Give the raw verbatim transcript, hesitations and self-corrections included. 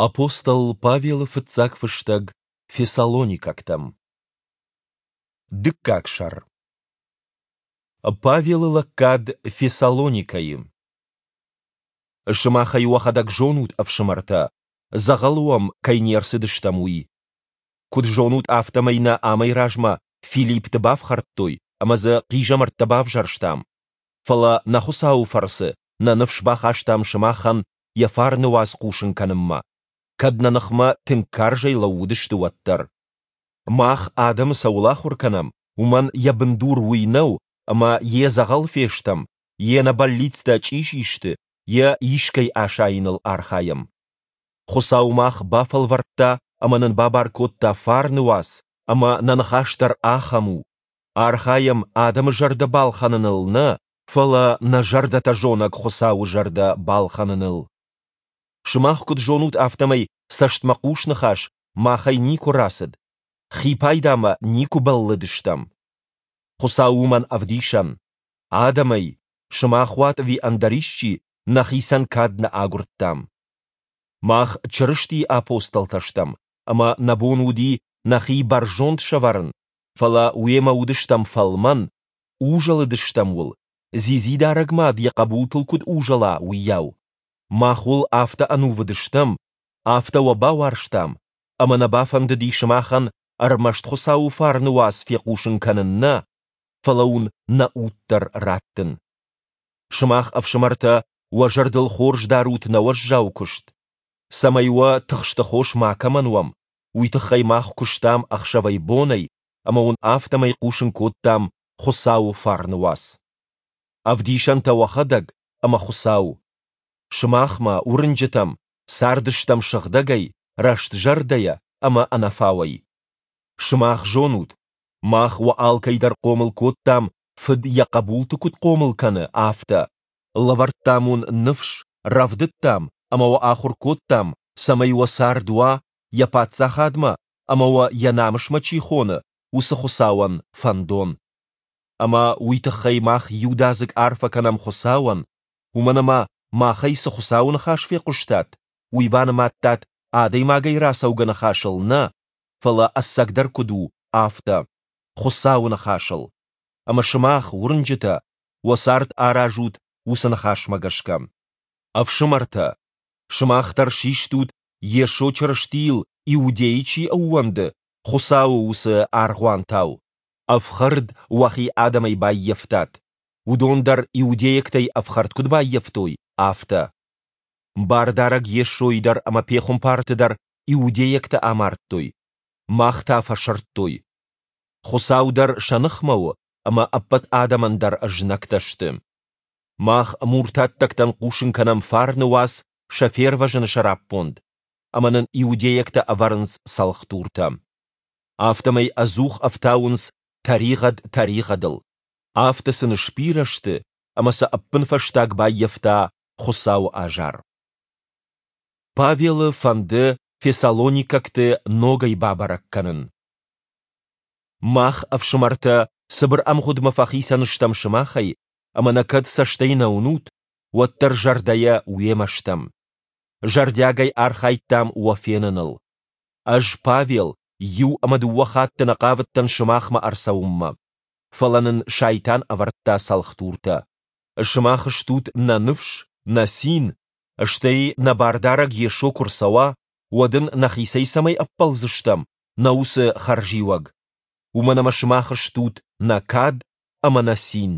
Апостол Павелы фыццаг фыстӕг Фессалоникӕгтӕм. Дыккаг сӕр. Павелы лӕггад Фессалоникӕйы. Сымах ӕй уӕхӕдӕг зонут, ӕфсымӕртӕ, дзӕгъӕлы уӕм кӕй не рцыдыстӕм, уый. Куыд зонут, афтӕмӕй нӕ амӕй размӕ Филиппты бафхӕрдтой ӕмӕ дзы хъизӕмӕрттӕ бавзӕрстам. Фӕлӕ нӕ Хуыцауы фӕрцы нӕ ныфс бахастам сымахӕн йӕ фарны уац хъусын кӕнынмӕ, кӕд нӕ ныхмӕ тынг карзӕй лӕууыдысты, уӕддӕр. Мах адӕмы цӕуыл ахуыр кӕнӕм, уымӕн йӕ бындур уый нӕу, ӕмӕ йе дзӕгъӕл фестӕм, йе нӕ бӕллицтӕ чъизи сты, йе искӕй асайыныл архайӕм. Хуыцау мах бафӕлвӕрдта ӕмӕ нын бабар кодта фарны уац, ӕмӕ нӕ ныхас дӕр ахӕм у. Архайӕм адӕмы зӕрдӕ балхӕныныл нӕ, фӕлӕ нӕ зӕрдӕтӕ зонӕг Хуыцауы зӕрдӕ балхӕныныл. Сымах куыд зонут, афтӕмӕй цӕстмӕхъус ныхас махӕй никуы рацыд, хи пайдамӕ никуы бӕллыдыстӕм. Хуыцау уымӕн ӕвдисӕн. Адӕмӕй, сымах уат ӕви ӕндӕр исчи, нӕхицӕн кад нӕ агуырдтам. Мах Чырыстийы апостолтӕ стӕм, ӕмӕ нӕ бон уыди нӕхи бӕрзонд сӕвӕрын, фӕлӕ уемӕ уыдыстӕм фӕлмӕн, узӕлыдыстӕм уыл, дзидзидарӕг мад йӕ хъӕбултыл куыд узӕла, уыйау. Мах уыл афтӕ ӕнувыд стӕм, афтӕ уӕ бауарзтам, ӕмӕ нӕ бафӕндыди сымахӕн ӕрмӕст Хуыцауы фарны уац фехъусын кӕнын нӕ, фӕлӕ уын нӕ уд дӕр раттын. Сымах, ӕфсымӕртӕ, уӕ зӕрдыл хорз дарут нӕ уӕззау куыст. Цӕмӕй уӕ тыхсты хос макӕмӕн уӕм, уый тыххӕй мах куыстам ӕхсӕвӕй-бонӕй ӕмӕ уын афтӕмӕй хъусын кодтам Хуыцауы фарны уац. Ӕвдисӕнтӕ уӕхӕдӕг ӕмӕ Хуыцау. Сымахмӕ, уырнджытӕм, цардыстӕм сыгъдӕгӕй, рӕстзӕрдӕйӕ ӕмӕ ӕнӕфауӕй. Сымах зонут, мах уӕ алкӕй дӕр хъомыл кодтам, фыд йӕ хъӕбулты куыд хъомыл кӕны, афтӕ, лӕвӕрдтам уын ныфс, рӕвдыдтам ӕмӕ уӕ ахуыр кодтам, цӕмӕй уӕ цард уа, йӕ паддзахадмӕ ӕмӕ уӕ йӕ намысмӕ чи хоны, уыцы Хуыцауӕн фӕндон. Ӕмӕ уый тыххӕй мах иудадзыг арфӕ кӕнӕм Хуыцауӕн, уымӕн ӕмӕ махӕй цы Хуыцауы ныхас фехъуыстат, уый банымадтат адӕймагӕй рацӕугӕ ныхасыл нӕ, фӕлӕ ӕцӕгдӕр куыд у, афтӕ, Хуыцауы ныхасыл. Ӕмӕ сымах, уырнджытӕ, уӕ цард аразут уыцы ныхасмӕ гӕсгӕ. Ӕфсымӕртӕ, сымах дӕр систут, Йесо Чырыстийыл Иудейы чи ӕууӕнды, Хуыцауы уыцы аргъуантау. Ӕфхӕрд уӕхи адӕмӕй баййӕфтат, уыдон дӕр иудейӕгтӕй ӕфхӕрд куыд баййӕфтой, афтӕ. Бардарӕг Йесойы дӕр ӕмӕ пехуымпарты дӕр иудейӕгтӕ амардтой, мах та фӕсырдтой. Хуыцау дӕр сӕ ныхмӕ у ӕмӕ ӕппӕт адӕмӕн дӕр знӕгтӕ сты. Мах муртаттӕгтӕн хъусын кӕнӕм фарны уац сӕ фервӕзыны сӕраппонд, ӕмӕ нын иудейӕгтӕ ӕвӕрынц цӕлхдуртӕ. Афтӕмӕй ӕдзух ӕфтауынц тӕригъӕд тӕригъӕдыл. Афтӕ сын сбирӕ сты, ӕмӕ сӕ ӕппынфӕстаг баййӕфта Хуыцауы азар. Павелы фӕнды фессалоникӕгты ногӕй бабӕрӕг кӕнын. Мах, ӕфсымӕртӕ, цыбыр ӕмгъуыдмӕ фӕхицӕн стӕм сымахӕй, ӕмӕ нӕ кӕд цӕстӕй нӕ уынут, уӕддӕр зӕрдӕйӕ уемӕ стӕм. Зӕрдиагӕй архайдтам уӕ феныныл. Ӕз, Павел, иу ӕмӕ дыууӕ хатты нӕ хъавыдтӕн сымахмӕ ӕрцӕуынмӕ. Фӕлӕ нын Сайтан ӕвӕрдта цӕлхдуртӕ. Сымах стут нӕ ныфс, нӕ цин, стӕй нӕ Бардарӕг Йесо куы рцӕуа, уӕд ын нӕхицӕй цӕмӕй ӕппӕлдзыстӕм, нӕ уыцы хӕрзиуӕг. Уымӕн ӕмӕ сымах стут нӕ кад ӕмӕ нӕ цин.